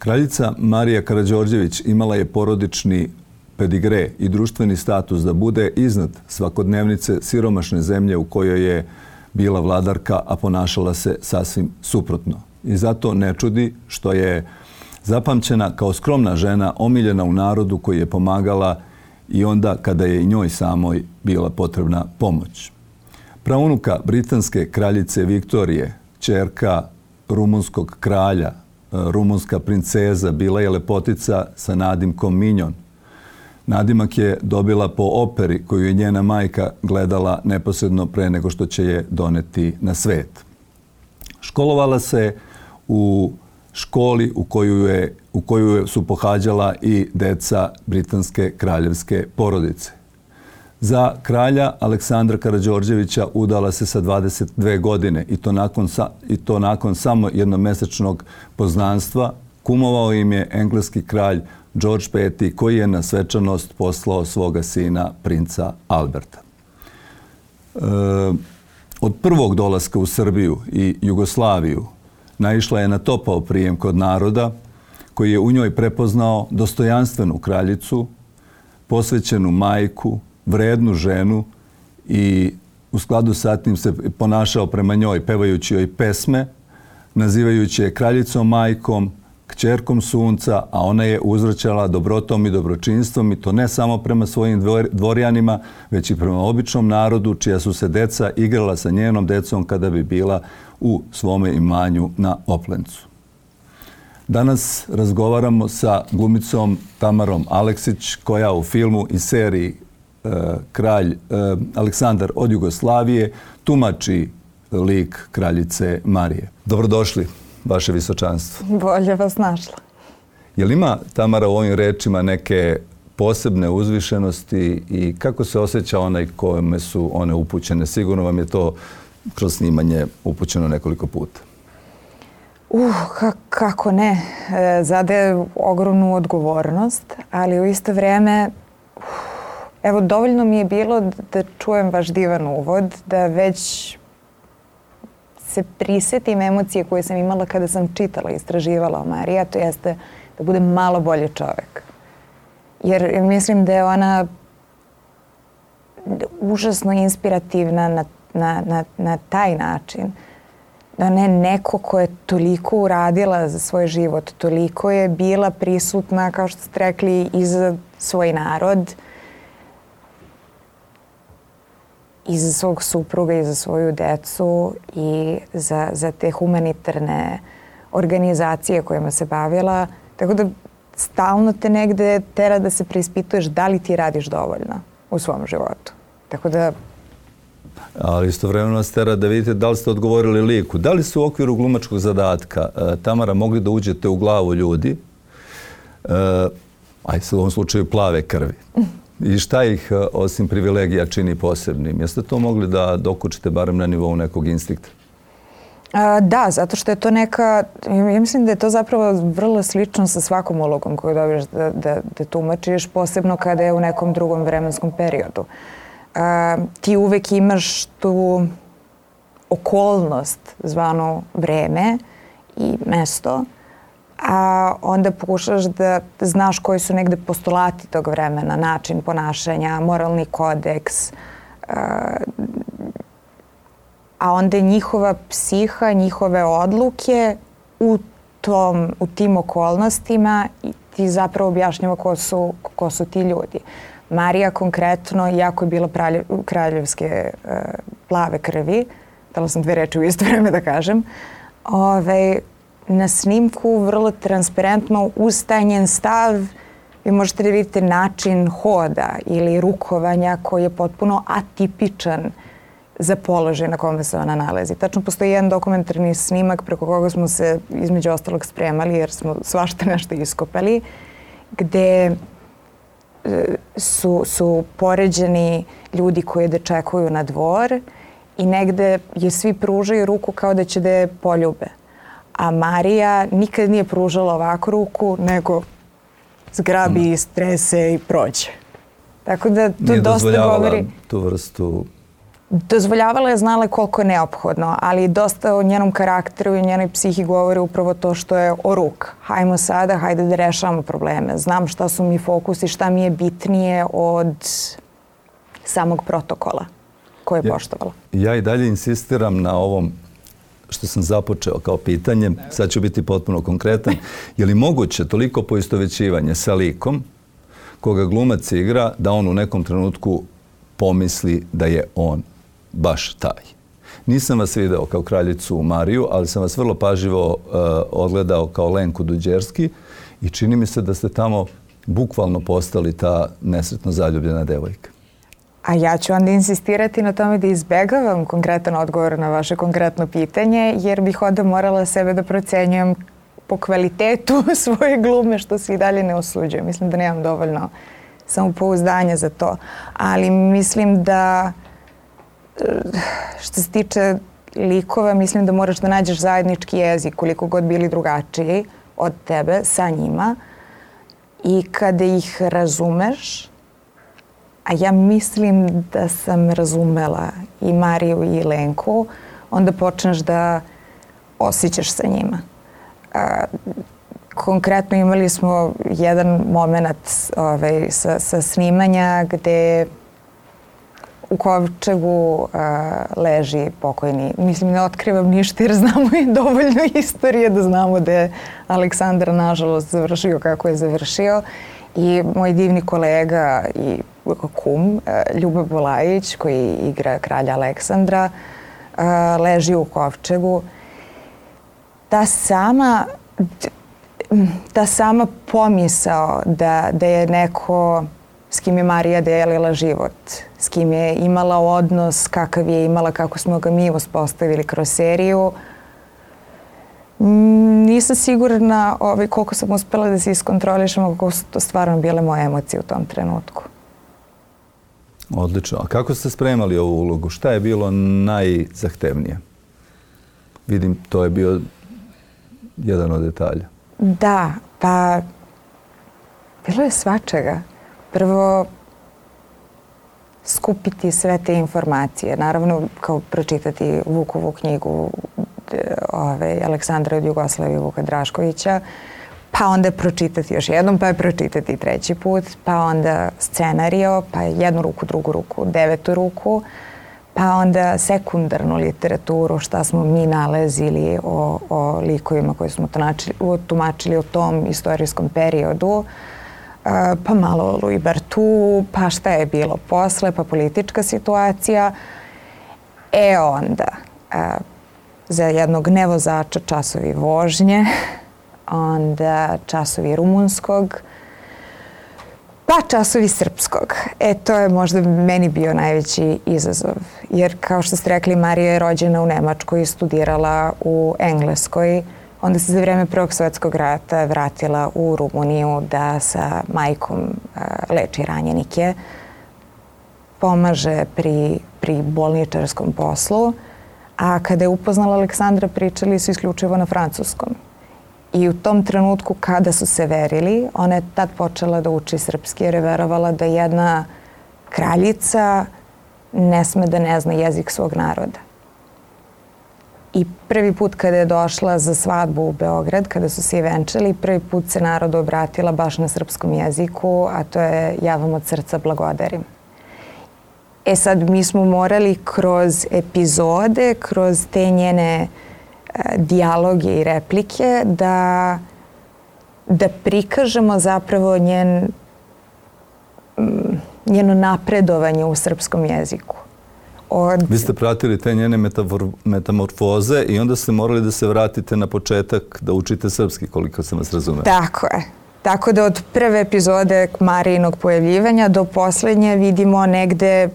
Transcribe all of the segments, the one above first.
Kraljica Marija Karađorđević imala je porodični pedigre i društveni status da bude iznad svakodnevnice siromašne zemlje u kojoj je bila vladarka, a ponašala se sasvim suprotno. I zato ne čudi što je zapamćena kao skromna žena, omiljena u narodu koji je pomagala i onda kada je i njoj samoj bila potrebna pomoć. Praunuka britanske kraljice Viktorije, ćerka rumunskog kralja, rumunska princeza, bila je lepotica sa nadimkom Minjon. Nadimak je dobila po operi koju je njena majka gledala neposredno pre nego što će je doneti na svet. Školovala se u školi u koju su pohađala i deca britanske kraljevske porodice. Za kralja Aleksandra Karađorđevića udala se sa 22 godine i to nakon samo jednomesečnog poznanstva. Kumovao im je engleski kralj George V koji je na svečanost poslao svoga sina princa Alberta. Od prvog dolaska u Srbiju i Jugoslaviju naišla je na topao prijem kod naroda koji je u njoj prepoznao dostojanstvenu kraljicu, posvećenu majku, vrednu ženu i u skladu sa tim se ponašao prema njoj pevajući joj pesme, nazivajući je kraljicom majkom, kćerkom sunca, a ona je uzvraćala dobrotom i dobročinstvom i to ne samo prema svojim dvorjanima, već i prema običnom narodu čija su se deca igrala sa njenom decom kada bi bila u svome imanju na Oplencu. Danas razgovaramo sa glumicom Tamarom Aleksić koja u filmu i seriji Kralj Aleksandar od Jugoslavije tumači lik kraljice Marije. Dobrodošli, vaše visočanstvo. Bolje vas našla. Je li ima, Tamara, u ovim rečima neke posebne uzvišenosti i kako se osjeća onaj kome su one upućene? Sigurno vam je to kroz snimanje upućeno nekoliko puta. Kako ne. Zade ogromnu odgovornost, ali u isto vrijeme evo, dovoljno mi je bilo da čujem vaš divan uvod, da već se prisjetim emocije koje sam imala kada sam čitala i istraživala o Mariji, a to jeste da budem malo bolji čovjek. Jer mislim da je ona užasno inspirativna na taj način. Da ona je neko ko je toliko uradila za svoj život, toliko je bila prisutna, kao što ste rekli, i za svoj narod, i za svog supruga i za svoju decu i za te humanitarne organizacije kojima se bavila. Tako da stalno te negde tera da se preispituješ da li ti radiš dovoljno u svom životu. Tako da... Ali istovremeno vas tera da vidite da li ste odgovorili liku. Da li ste u okviru glumačkog zadatka, Tamara, mogli da uđete u glavu ljudi, u ovom slučaju plave krvi? I šta ih, osim privilegija, čini posebnim? Jeste to mogli da dokučite barem na nivou nekog instinkta? Da, zato što je to neka... Ja mislim da je to zapravo vrlo slično sa svakom ulogom koju dobiješ da tumačiš, posebno kada je u nekom drugom vremenskom periodu. Ti uvek imaš tu okolnost zvanu vreme i mesto, a onda pokušaš da znaš koji su negde postulati tog vremena, način ponašanja, moralni kodeks, a onda njihova psiha, njihove odluke u tim okolnostima ti zapravo objašnjava ko su ti ljudi. Marija konkretno, iako je bila kraljevske plave krvi, dala sam dve reči u isto vreme da kažem, na snimku vrlo transparentno uz taj njen stav vi možete da vidite način hoda ili rukovanja koji je potpuno atipičan za položaj na kome se ona nalazi. Tačno postoji jedan dokumentarni snimak preko koga smo se između ostalog spremali jer smo svašta nešto iskopali, gde su poređeni ljudi koji dečekuju na dvor i negde je svi pružaju ruku kao da će da je poljube. A Marija nikad nije pružala ovako ruku, nego zgrabi, strese i prođe. Tako da to dosta govori... tu vrstu dozvoljavala je, znala koliko je neophodno, ali dosta o njenom karakteru i njenoj psihi govori upravo to što je o ruk. Hajmo sada, hajde da rešavamo probleme. Znam šta su mi fokusi, šta mi je bitnije od samog protokola koje je poštovala. Ja i dalje insistiram na ovom što sam započeo kao pitanje, sad ću biti potpuno konkretan. Je li moguće toliko poistovećivanje sa likom koga glumac igra da on u nekom trenutku pomisli da je on baš taj? Nisam vas video kao kraljicu Mariju, ali sam vas vrlo pažljivo odgledao kao Lenku Duđerski i čini mi se da ste tamo bukvalno postali ta nesretno zaljubljena devojka. A ja ću onda insistirati na tome da izbegavam konkretan odgovor na vaše konkretno pitanje, jer bih onda morala sebe da procenjujem po kvalitetu svoje glume, što se i dalje ne osuđujem. Mislim da nemam dovoljno samopouzdanja za to. Ali mislim da što se tiče likova, mislim da moraš da nađeš zajednički jezik, koliko god bili drugačiji od tebe, sa njima. I kada ih razumeš, a ja mislim da sam razumela i Mariju i Lenku, onda počneš da osjećaš sa njima. Konkretno imali smo jedan moment sa snimanja gde u kovčegu leži pokojni. Mislim, ne otkrivam ništa jer znamo i dovoljno istorije da znamo da je Aleksandar nažalost završio kako je završio. I moj divni kolega i kum, Ljuba Bulajić, koji igra kralja Aleksandra, leži u kovčegu. Ta sama pomisao da je neko s kim je Marija delila život, s kim je imala odnos kakav je imala, kako smo ga mi uspostavili kroz seriju, nisam sigurna koliko sam uspela da se iskontrolišem, koliko su to stvarno bile moje emocije u tom trenutku. Odlično. A kako ste spremali ovu ulogu? Šta je bilo najzahtevnije? Vidim, to je bio jedan od detalja. Da, pa bilo je svačega. Prvo, skupiti sve te informacije. Naravno, kao pročitati Vukovu knjigu Aleksandra od Jugoslavije Vuka Draškovića, pa onda pročitati još jednom, pa je pročitati treći put, pa onda scenario, pa jednu ruku, drugu ruku, devetu ruku, pa onda sekundarnu literaturu, šta smo mi nalazili o likovima koje smo tumačili u tom istorijskom periodu, pa malo o Louis Barthou, pa šta je bilo posle, pa politička situacija. Onda za jednog nevozača časovi vožnje, onda časovi rumunskog, pa časovi srpskog. To je možda meni bio najveći izazov. Jer kao što ste rekli, Marija je rođena u Nemačkoj i studirala u Engleskoj. Onda se za vreme Prvog svjetskog rata vratila u Rumuniju da sa majkom leči ranjenike, pomaže pri bolničarskom poslu. A kada je upoznala Aleksandra, pričali su isključivo na francuskom. I u tom trenutku kada su se verili, ona je tad počela da uči srpski jer je verovala da jedna kraljica ne sme da ne zna jezik svog naroda. I prvi put kada je došla za svadbu u Beograd, kada su se i venčali, prvi put se narodu obratila baš na srpskom jeziku, a to je ja vam od srca blagodarim. Sad mi smo morali kroz epizode, kroz te njene dijaloge i replike da prikažemo zapravo njeno napredovanje u srpskom jeziku. Vi ste pratili te njene metamorfoze i onda ste morali da se vratite na početak da učite srpski, koliko sam vas razumela. Tako je. Tako da od prve epizode Marijinog pojavljivanja do poslednje vidimo negde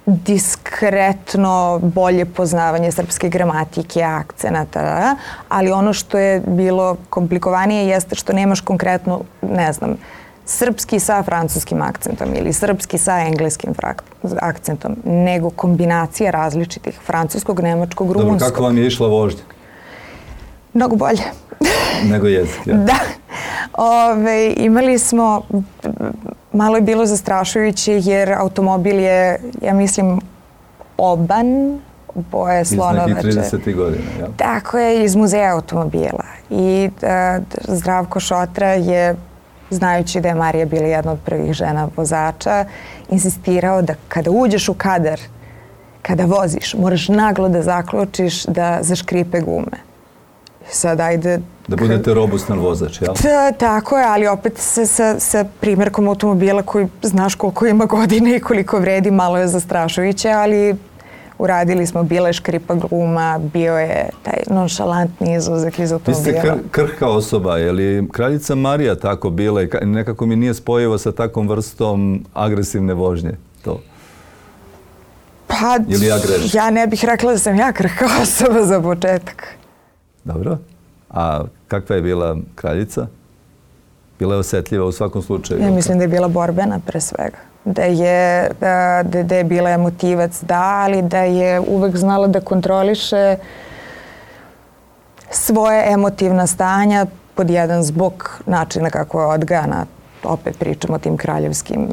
diskretno bolje poznavanje srpske gramatike, akcenata, ali ono što je bilo komplikovanije jeste što nemaš konkretno, ne znam, srpski sa francuskim akcentom ili srpski sa engleskim akcentom, nego kombinacija različitih francuskog, nemačkog, rumunskog. Dobro, kako vam je išla vožnja? Mnogo bolje. Nego jezik, ja. Da. Imali smo, malo je bilo zastrašujuće jer automobil je, ja mislim, oban boje slonovače. Iz nekih 30. godina, jel? Tako je, iz muzeja automobila. I Zdravko Šotra je, znajući da je Marija bila jedna od prvih žena vozača, insistirao da kada uđeš u kadar, kada voziš, moraš naglo da zaključiš da zaškripe gume. Sad ajde... Da budete robustan vozač, jel? Tako je, ali opet sa primjerkom automobila koji znaš koliko ima godine i koliko vredi, malo je zastrašujuće, ali uradili smo, bila je škripa guma, bio je taj nonšalantni izlazak iz automobila. Vi ste krhka osoba, je li kraljica Marija tako bila i nekako mi nije spojivo sa takvom vrstom agresivne vožnje to? Pa, ja ne bih rekla da sam ja krhka osoba za početak. Dobro. A kakva je bila kraljica? Bila je osjetljiva u svakom slučaju? Ja mislim da je bila borbena pre svega. Da je bila emotivac, da, ali da je uvek znala da kontroliše svoje emotivna stanja pod jedan zbog načina kako je odgajana. Opet pričamo o tim kraljevskim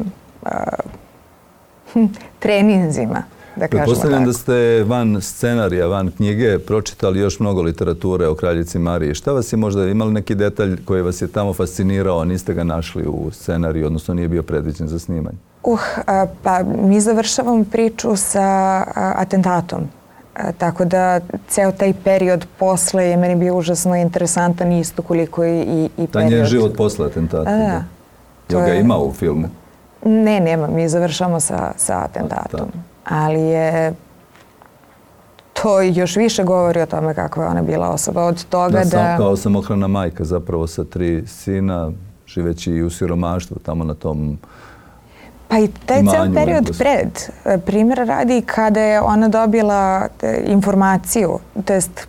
treninzima. Pretpostavljam da ste van scenarija, van knjige pročitali još mnogo literature o kraljici Mariji. Šta vas je možda, imali neki detalj koji vas je tamo fascinirao, a niste ga našli u scenariju, odnosno nije bio predviđen za snimanje? Pa mi završavamo priču sa atentatom. Tako da ceo taj period posle je meni bio užasno interesantan isto koliko i period. Taj njen život posle atentata? Da. Jel ga ima u filmu? Ne, nema. Mi završamo sa atentatom. Ali je to još više govori o tome kakva je ona bila osoba. Od toga da... Kao samohrana majka zapravo sa 3 sina, živeći i u siromaštvu tamo na tom pa i taj ceo period pred. Primjer radi kada je ona dobila informaciju, to jest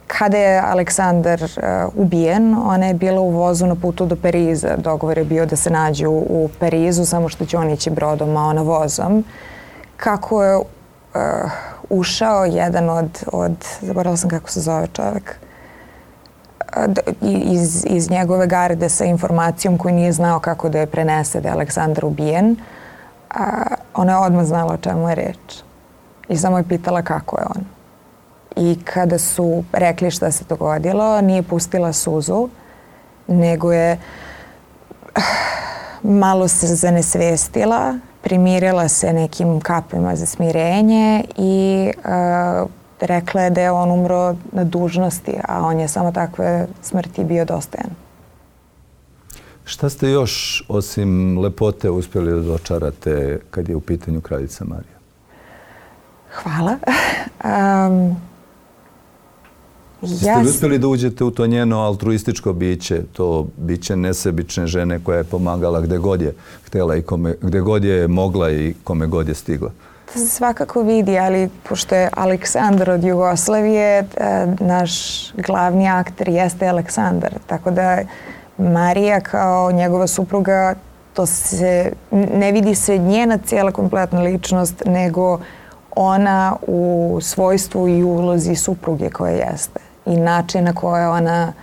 kada je Aleksandar ubijen, ona je bila u vozu na putu do Pariza. Dogovor je bio da se nađu u Parizu, samo što će on ići brodom, a ona vozom. Kako je ušao jedan od zaboravila sam kako se zove čovjek, iz njegove garde sa informacijom koju nije znao kako da je prenese da je Aleksandar ubijen. Ona je odmah znala o čemu je reč. I samo je pitala kako je on. I kada su rekli šta se dogodilo, nije pustila suzu, nego je malo se zanesvestila, primirila se nekim kapima za smirenje i rekla je da je on umro na dužnosti, a on je samo takve smrti bio dostojan. Šta ste još osim lepote uspjeli da dočarate kad je u pitanju kraljica Marija? Hvala. Jeste li uspjeli da uđete u to njeno altruističko biće, to biće nesebične žene koja je pomagala gde god je htjela i gde god je mogla i kome god je stigla? To se svakako vidi, ali pošto je Aleksandar od Jugoslavije, naš glavni akter jeste Aleksandar. Tako da Marija kao njegova supruga, to se ne vidi se njena cijela kompletna ličnost, nego ona u svojstvu i ulozi supruge koja jeste. I način na koje ona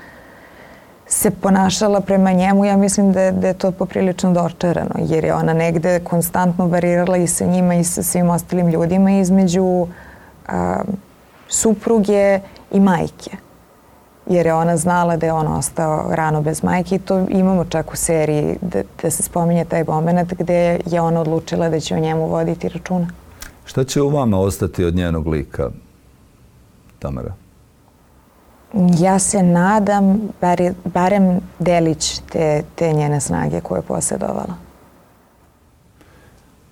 se ponašala prema njemu, ja mislim da je to poprilično dočarano, jer je ona negde konstantno varirala i sa njima i sa svim ostalim ljudima između supruge i majke. Jer je ona znala da je on ostao rano bez majke i to imamo čak u seriji da se spominje taj moment gde je ona odlučila da će o njemu voditi računa. Šta će u vama ostati od njenog lika, Tamara? Ja se nadam barem delić te njene snage koje je posjedovala.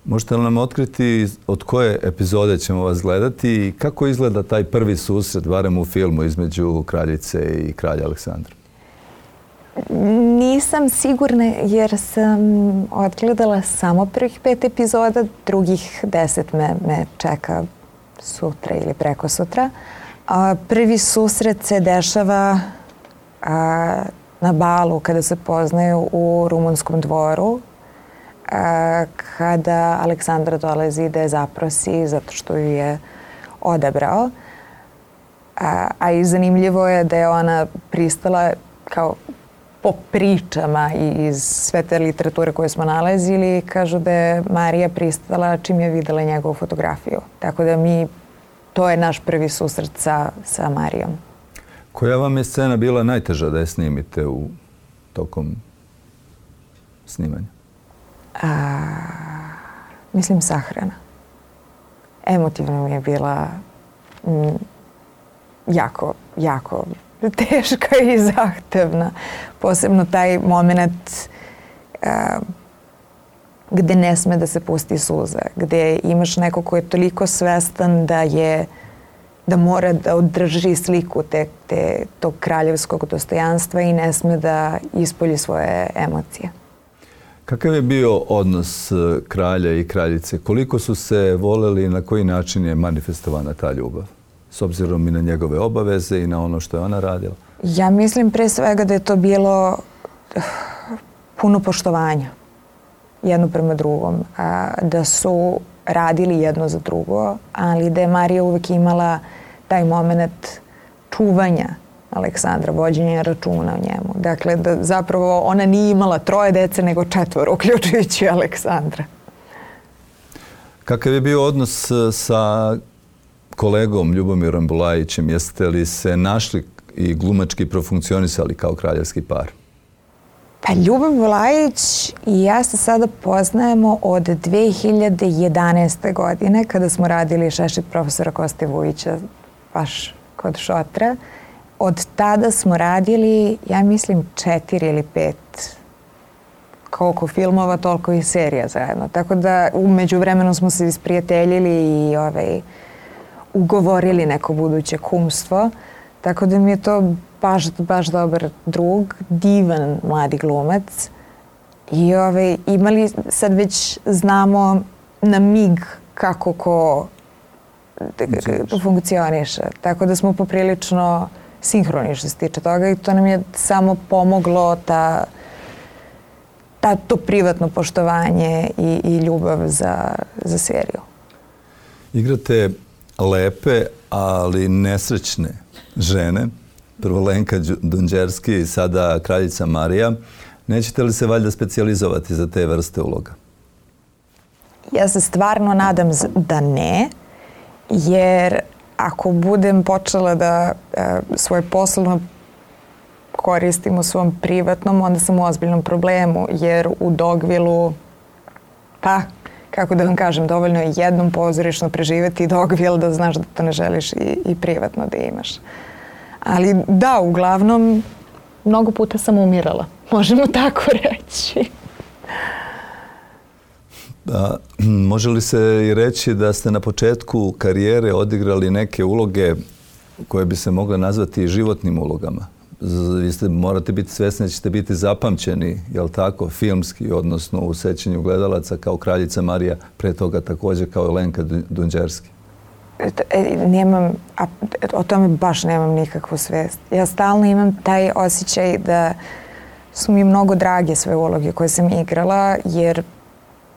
Možete li nam otkriti od koje epizode ćemo vas gledati i kako izgleda taj prvi susret, barem u filmu, između kraljice i kralja Aleksandra? Nisam sigurna jer sam odgledala samo prvih 5 epizoda, drugih 10 me čeka sutra ili preko sutra. Prvi susret se dešava na balu kada se poznaju u rumunskom dvoru, kada Aleksandra dolazi da je zaprosi zato što ju je odabrao. A i zanimljivo je da je ona pristala kao po pričama i iz sve te literature koje smo nalazili, kažu da je Marija pristala čim je videla njegovu fotografiju. Tako da to je naš prvi susret sa Marijom. Koja vam je scena bila najteža da je snimite tokom snimanja? Mislim sahrana. Emotivno mi je bila jako teška i zahtevna. Posebno taj moment gde ne sme da se pusti suza, gde imaš neko ko je toliko svestan da mora da održi sliku tog kraljevskog dostojanstva i ne sme da ispolji svoje emocije. Kakav je bio odnos kralja i kraljice? Koliko su se voleli i na koji način je manifestovana ta ljubav? S obzirom i na njegove obaveze i na ono što je ona radila? Ja mislim pre svega da je to bilo puno poštovanja jedno prema drugom. Da su radili jedno za drugo, ali da je Marija uvek imala taj moment čuvanja Aleksandra, vođenja računa o njemu. Dakle, da zapravo ona nije imala 3 dece, nego 4, uključujući Aleksandra. Kakav je bio odnos sa kolegom Ljubomirom Bulajićem? Jeste li se našli i glumački profunkcionisali kao kraljevski par? Pa Ljubomir Bulajić i ja se sada poznajemo od 2011. godine kada smo radili Šešir profesora Koste Vujića baš kod Šotra. Od tada smo radili, ja mislim, 4 ili 5 koliko filmova, toliko i serija zajedno. Tako da umeđu vremenu smo se isprijateljili i ugovorili neko buduće kumstvo. Tako da mi je to baš dobar drug, divan mladi glumac. I imali, sad već znamo na mig kako ko funkcioniše. Tako da smo poprilično sinhroni što se tiče toga i to nam je samo pomoglo to privatno poštovanje i ljubav za seriju. Igrate lepe, ali nesrećne žene. Prvo Lenka Dunđerski i sada kraljica Marija. Nećete li se valjda specijalizovati za te vrste uloga? Ja se stvarno nadam da ne, jer ako budem počela da svoje poslovno koristim u svom privatnom, onda sam u ozbiljnom problemu, jer u Dogvilu, pa, kako da vam kažem, dovoljno je jednom pozorišno preživeti Dogvil da znaš da to ne želiš i privatno da imaš. Ali da, uglavnom, mnogo puta sam umirala. Možemo tako reći. Može li se i reći da ste na početku karijere odigrali neke uloge koje bi se mogle nazvati životnim ulogama? Vi morate biti svesni da ćete biti zapamćeni, jel tako, filmski, odnosno u sećanju gledalaca kao kraljica Marija, pre toga također kao Lenka Dunđerski. O tome baš nemam nikakvu svest. Ja stalno imam taj osjećaj da su mi mnogo drage sve uloge koje sam igrala, jer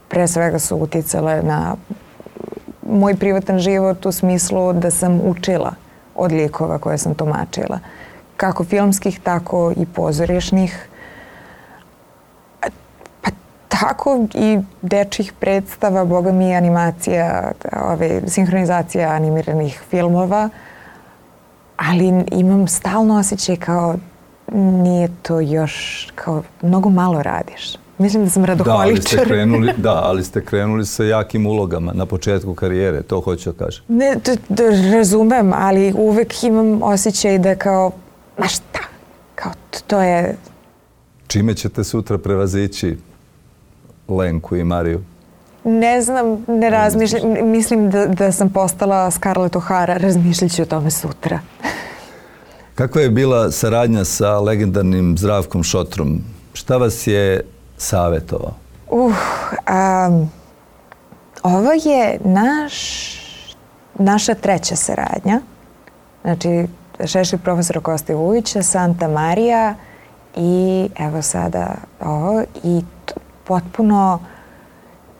pre svega su uticale na moj privatan život u smislu da sam učila od likova koje sam tumačila. Kako filmskih, tako i pozorišnih. Pa tako i dečjih predstava, boga mi, animacija, sinhronizacija animiranih filmova. Ali imam stalno osjećaj kao nije to još, kao mnogo malo radiš. Mislim da sam radoholičar. Ali ste krenuli sa jakim ulogama na početku karijere, to hoću da kažem. Ne, razumem, ali uvek imam osjećaj da kao, ma šta, kao to je... Čime ćete sutra prevazići Lenku i Mariju? Ne znam, ne razmišljam. Mislim da sam postala Scarlett O'Hara, razmišljat ću o tome sutra. Kakva je bila saradnja sa legendarnim Zdravkom Šotrom? Šta vas je savjetovao? Ovo je naša 3. saradnja. Znači, Šešir profesora Koste Vujića, Santa Marija i evo sada ovo. I potpuno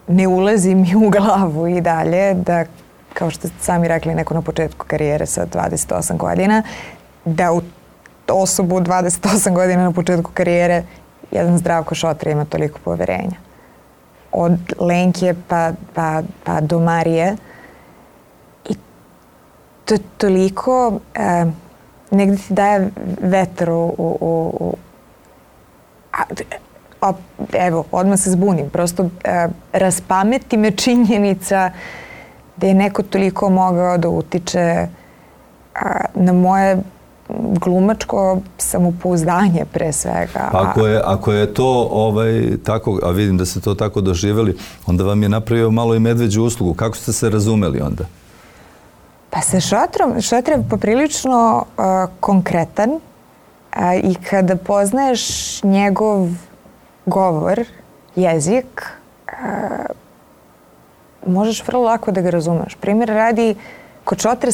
ne ulazi mi u glavu i dalje da, kao što ste sami rekli, neko na početku karijere sa 28 godina, da u osobu 28 godina na početku karijere jedan Zdravko Šotra ima toliko poverenja. Od Lenke pa do Marije. I to je toliko negdje ti daje vetar evo, odmah se zbunim. Prosto raspameti me činjenica da je neko toliko mogao da utiče na moje glumačko samopouzdanje pre svega. Pa ako je to tako, a vidim da ste to tako doživjeli, onda vam je napravio malo i medveđu uslugu. Kako ste se razumeli onda? Pa sa Šotra je poprilično konkretan i kada poznaješ njegov govor, jezik, možeš vrlo lako da ga razumeš. Primjer radi, kod Šotra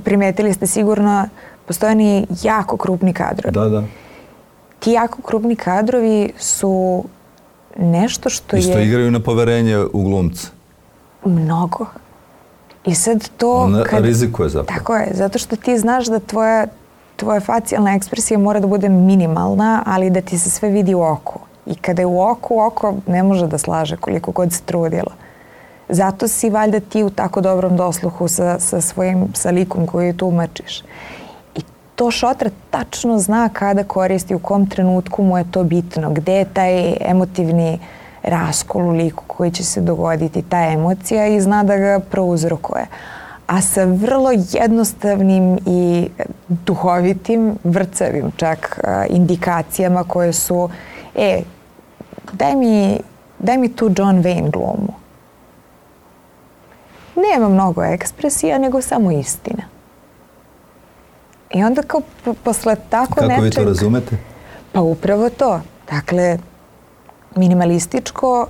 primetili ste sigurno, postoje oni jako krupni kadrovi. Da. Ti jako krupni kadrovi su nešto što isto igraju na poverenje u glumca. Mnogo. I sad to... On rizikuje zapravo. Tako je, zato što ti znaš da tvoja facijalna ekspresija mora da bude minimalna, ali da ti se sve vidi u oku. I kada je u oku, oko ne može da slaže koliko god se trudilo. Zato si valjda ti u tako dobrom dosluhu sa likom koju tumačiš. I to Šotra tačno zna kada koristi, u kom trenutku mu je to bitno, gde je taj emotivni raskol u liku koji će se dogoditi, ta emocija, i zna da ga prouzrokuje. A sa vrlo jednostavnim i duhovitim, vrcavim čak indikacijama koje su daj mi tu John Wayne glumu. Nema mnogo ekspresija, nego samo istina. I onda kao posle tako nečeg... Kako vi to razumete? Pa upravo to. Dakle,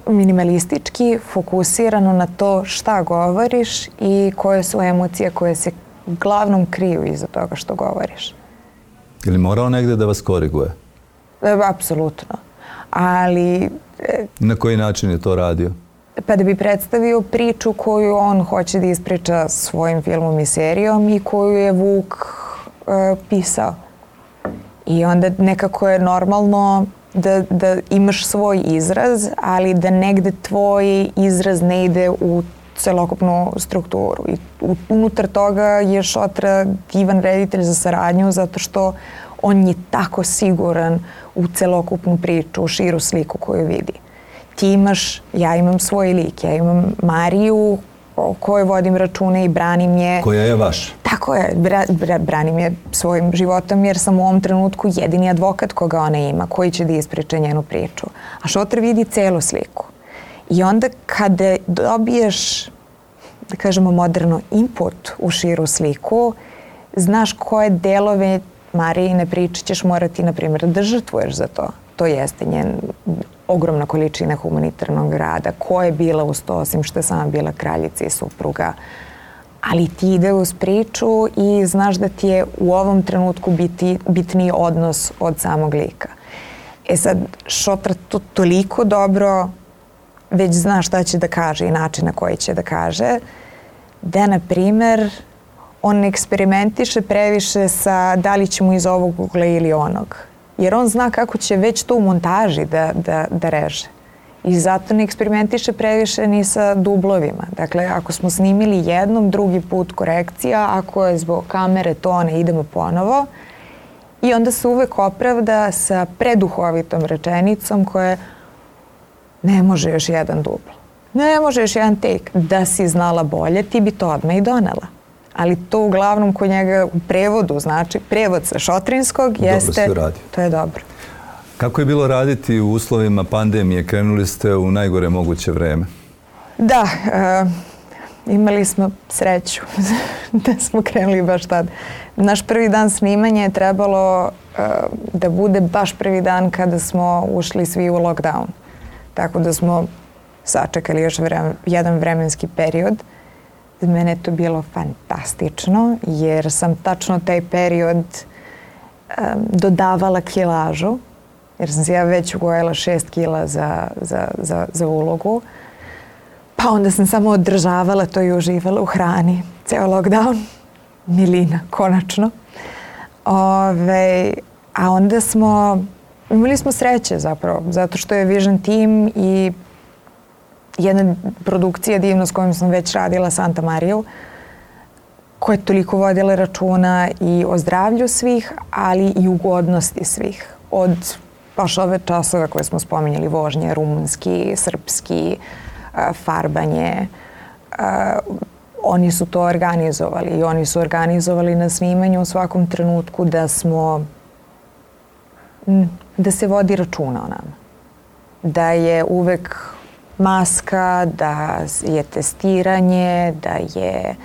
minimalistički fokusirano na to šta govoriš i koje su emocije koje se uglavnom kriju iza toga što govoriš. Je li morao negdje da vas koriguje? Apsolutno. Ali... Na koji način je to radio? Pa da bi predstavio priču koju on hoće da ispriča svojim filmom i serijom i koju je Vuk pisao. I onda nekako je normalno da imaš svoj izraz, ali da negde tvoj izraz ne ide u celokupnu strukturu. I unutar toga je Šotra divan reditelj za saradnju zato što on je tako siguran u celokupnu priču, u širu sliku koju vidi. Ti imaš, ja imam svoj lik, ja imam Mariju o kojoj vodim račune i branim je... Koja je vaš? Tako je, branim je svojim životom jer sam u ovom trenutku jedini advokat koga ona ima, koji će da ispriča njenu priču. A Šotra vidi celu sliku. I onda kada dobiješ, da kažemo moderno, input u širu sliku, znaš koje delove Marijine priče ćeš morati, na primjer, da žrtvuješ za to. To jeste njen ogromna količina humanitarnog rada. Ko je bila uz to, osim što je sama bila kraljica i supruga. Ali ti ide uz priču i znaš da ti je u ovom trenutku bitniji odnos od samog lika. E sad, Šotra to toliko dobro već zna šta će da kaže i način na koji će da kaže, da, na primjer, on ne eksperimentiše previše sa da li će mu iz ovog ugla ili onog. Jer on zna kako će već to u montaži da reže. I zato ne eksperimentiše previše ni sa dublovima. Dakle, ako smo snimili jednom, drugi put korekcija, ako je zbog kamere to ne idemo ponovo. I onda se uvek opravda sa preduhovitom rečenicom koja ne može još jedan dubl. Ne može još jedan take. Da si znala bolje, ti bi to odmah i donela. Ali to uglavnom kod njega u prevodu, znači prevod sa šotrinskog jeste... Dobro se to je dobro. Kako je bilo raditi u uslovima pandemije? Krenuli ste u najgore moguće vreme. Da, imali smo sreću da smo krenuli baš tad. Naš prvi dan snimanja je trebalo da bude baš prvi dan kada smo ušli svi u lockdown. Tako da smo sačekali još jedan vremenski period. Za mene je to bilo fantastično jer sam tačno taj period dodavala kilažu. Jer sam se ja već ugojila 6 kila za ulogu. Pa onda sam samo održavala to i uživala u hrani. Ceo lockdown. Milina, konačno. A onda imali smo sreće zapravo, zato što je Vision Team i jedna produkcija divna s kojom sam već radila, Santa Mariju, koja je toliko vodila računa i o zdravlju svih, ali i ugodnosti svih. Od baš ove časove koje smo spominjali, vožnje, rumunski, srpski, farbanje. Oni su to organizovali i oni su organizovali na snimanju u svakom trenutku da se vodi računa o nama. Da je uvek maska, da je testiranje, da je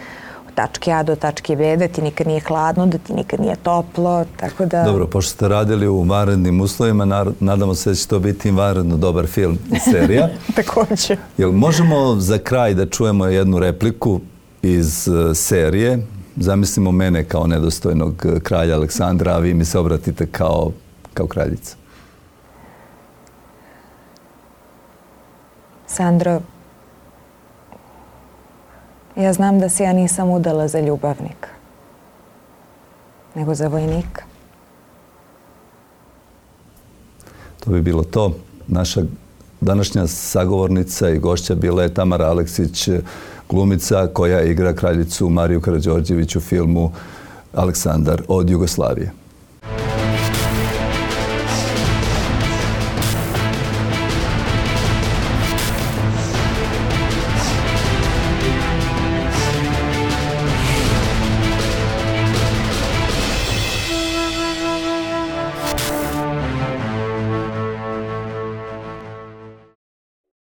od tačke A do tačke B, da ti nikad nije hladno, da ti nikad nije toplo, tako da... Dobro, pošto ste radili u vanrednim uslovima, nadamo se da će to biti vanredno dobar film i serija. Također. Jel možemo za kraj da čujemo jednu repliku iz serije? Zamislimo mene kao nedostojnog kralja Aleksandra, a vi mi se obratite kao kraljica. Sandro, ja znam da se ja nisam udala za ljubavnika, nego za vojnika. To bi bilo to. Naša današnja sagovornica i gošća bila je Tamara Aleksić, glumica koja igra kraljicu Mariju Karađorđević u filmu Aleksandar od Jugoslavije.